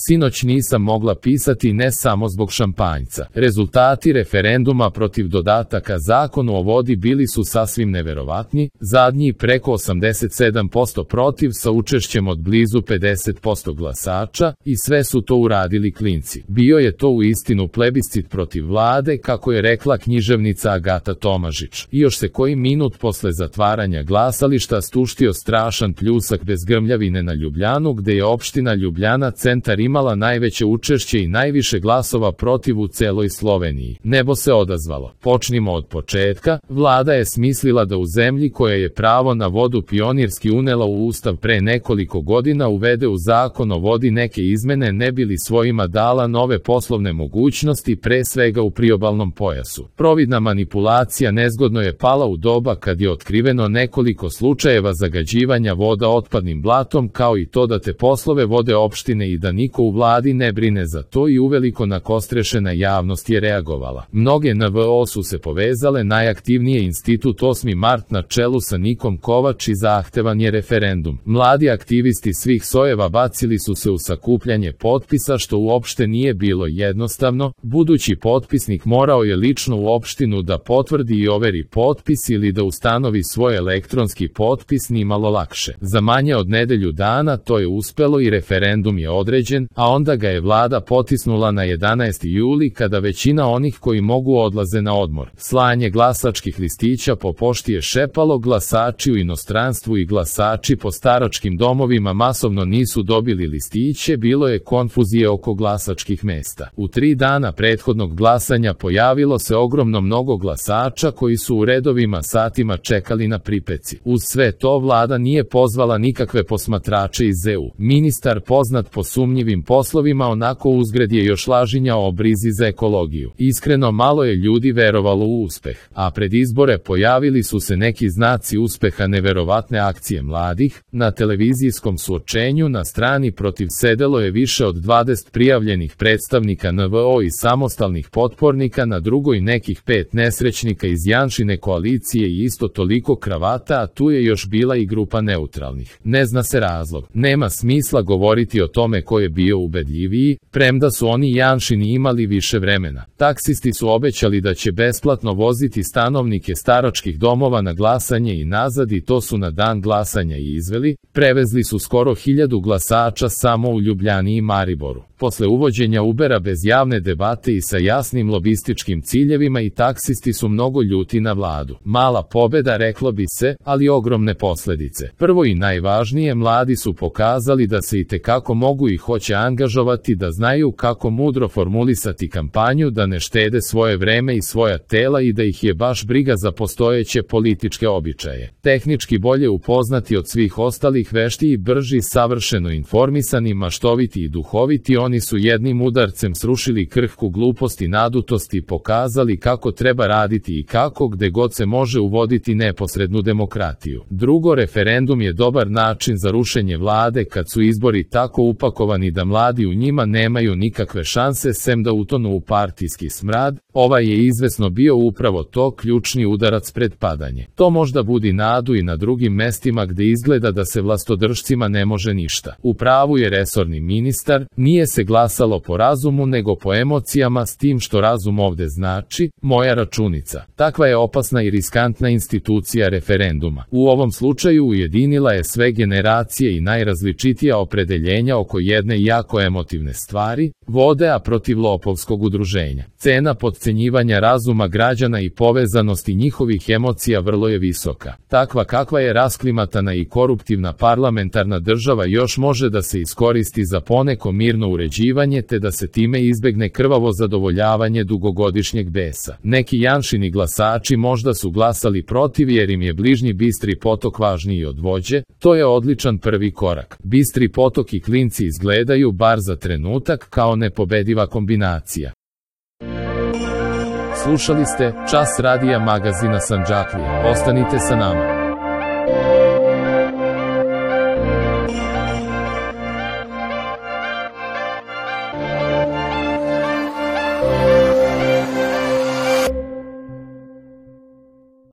Sinoć nisam mogla pisati ne samo zbog šampanjca. Rezultati referenduma protiv dodataka Zakonu o vodi bili su sasvim neverovatni, zadnji preko 87% protiv sa učešćem od blizu 50% glasača, i sve su to uradili klinci. Bio je to uistinu plebiscit protiv vlade, kako je rekla književnica Agata Tomažić. I još se koji minut posle zatvaranja glasališta stuštio strašan pljusak bez grmljavine na Ljubljanu, gde je opština Ljubljana centar imala najveće učešće i najviše glasova protiv u celoj Sloveniji. Nebo se odazvalo. Počnimo od početka. Vlada je smislila da u zemlji koja je pravo na vodu pionirski unela u ustav pre nekoliko godina uvede u zakon o vodi neke izmene ne bi li svojima dala nove poslovne mogućnosti, pre svega u priobalnom pojasu. Providna manipulacija nezgodno je pala u doba kad je otkriveno nekoliko slučajeva zagađivanja voda otpadnim blatom, kao i to da te poslove vode opštine i da niko u vladi ne brine za to, i uveliko nakostrešena javnost je reagovala. Mnoge NVO su se povezale, najaktivnije Institut 8. mart na čelu sa Nikom Kovač, i zahtevan je referendum. Mladi aktivisti svih sojeva bacili su se u sakupljanje potpisa, što uopšte nije bilo jednostavno. Budući potpisnik morao je lično u opštinu da potvrdi i overi potpis ili da ustanovi svoj elektronski potpis, nimalo lakše. Za manje od nedelju dana to je uspelo i referendum je određen, a onda ga je vlada potisnula na 11. juli, kada većina onih koji mogu odlaze na odmor. Slanje glasačkih listića po pošti je šepalo, glasači u inostranstvu i glasači po staračkim domovima masovno nisu dobili listiće, bilo je konfuzije oko glasačkih mesta. U 3 dana prethodnog glasanja pojavilo se ogromno mnogo glasača koji su u redovima satima čekali na pripeci. Uz sve to vlada nije pozvala nikakve posmatrače iz EU. Ministar poznat po sumnjivim poslovima onako uzgred je još lažinjao o brizi za ekologiju. Iskreno malo je ljudi verovalo u uspeh, a pred izbore pojavili su se neki znaci uspeha, neverovatne akcije mladih. Na televizijskom suočenju na strani protiv sedelo je više od 20 prijavljenih predstavnika NVO i samostalnih potpornika, na drugoj nekih 5 nesrećnika iz Janšine koalicije i isto toliko kravata, a tu je još bila i grupa neutralnih. Ne zna se razlog. Nema smisla govoriti o tome ko je bio ubedljiviji, premda su oni Janšini imali više vremena. Taksisti su obećali da će besplatno voziti stanovnike staračkih domova na glasanje i nazad, i to su na dan glasanja i izveli. Prevezli su skoro 1000 glasača samo u Ljubljani i Mariboru. Posle uvođenja Ubera bez javne debate i sa jasnim lobističkim ciljevima, i taksisti su mnogo ljuti na vladu. Mala pobeda, reklo bi se, ali ogromne posledice. Prvo i najvažnije, mladi su pokazali da se itekako mogu i hoće angažovati, da znaju kako mudro formulisati kampanju, da ne štede svoje vreme i svoja tela i da ih je baš briga za postojeće političke običaje. Tehnički bolje upoznati od svih ostalih, veštiji, brži, savršeno informisani, maštoviti i duhoviti, oni su jednim udarcem srušili krhku glupost i nadutost i pokazali kako treba raditi i kako gde god se može uvoditi neposrednu demokratiju. Drugo, referendum je dobar način za rušenje vlade kad su izbori tako upakovani da mladi u njima nemaju nikakve šanse sem da utonu u partijski smrad. Ovaj je izvesno bio upravo to, ključni udarac pred padanje. To možda budi nadu i na drugim mestima gde izgleda da se vlastodržcima ne može ništa. U pravu je resorni ministar, nije se glasalo po razumu nego po emocijama, s tim što razum ovde znači moja računica. Takva je opasna i riskantna institucija referenduma. U ovom slučaju ujedinila je sve generacije i najrazličitija opredeljenja oko jedne jako emotivne stvari, vode, a protiv lopovskog udruženja. Cena potcenjivanja razuma građana i povezanosti njihovih emocija vrlo je visoka. Takva kakva je rasklimatana i koruptivna parlamentarna država još može da se iskoristi za poneko mirno uređivanje, te da se time izbegne krvavo zadovoljavanje dugogodišnjeg besa. Neki Janšini glasači možda su glasali protiv jer im je bližnji Bistri potok važniji od vođe. To je odličan prvi korak. Bistri potok i klinci izgledaju, bar za trenutak, kao nepobediva kombinacija. Slušali ste Čas radija magazina Sandžaklija. Ostanite sa nama.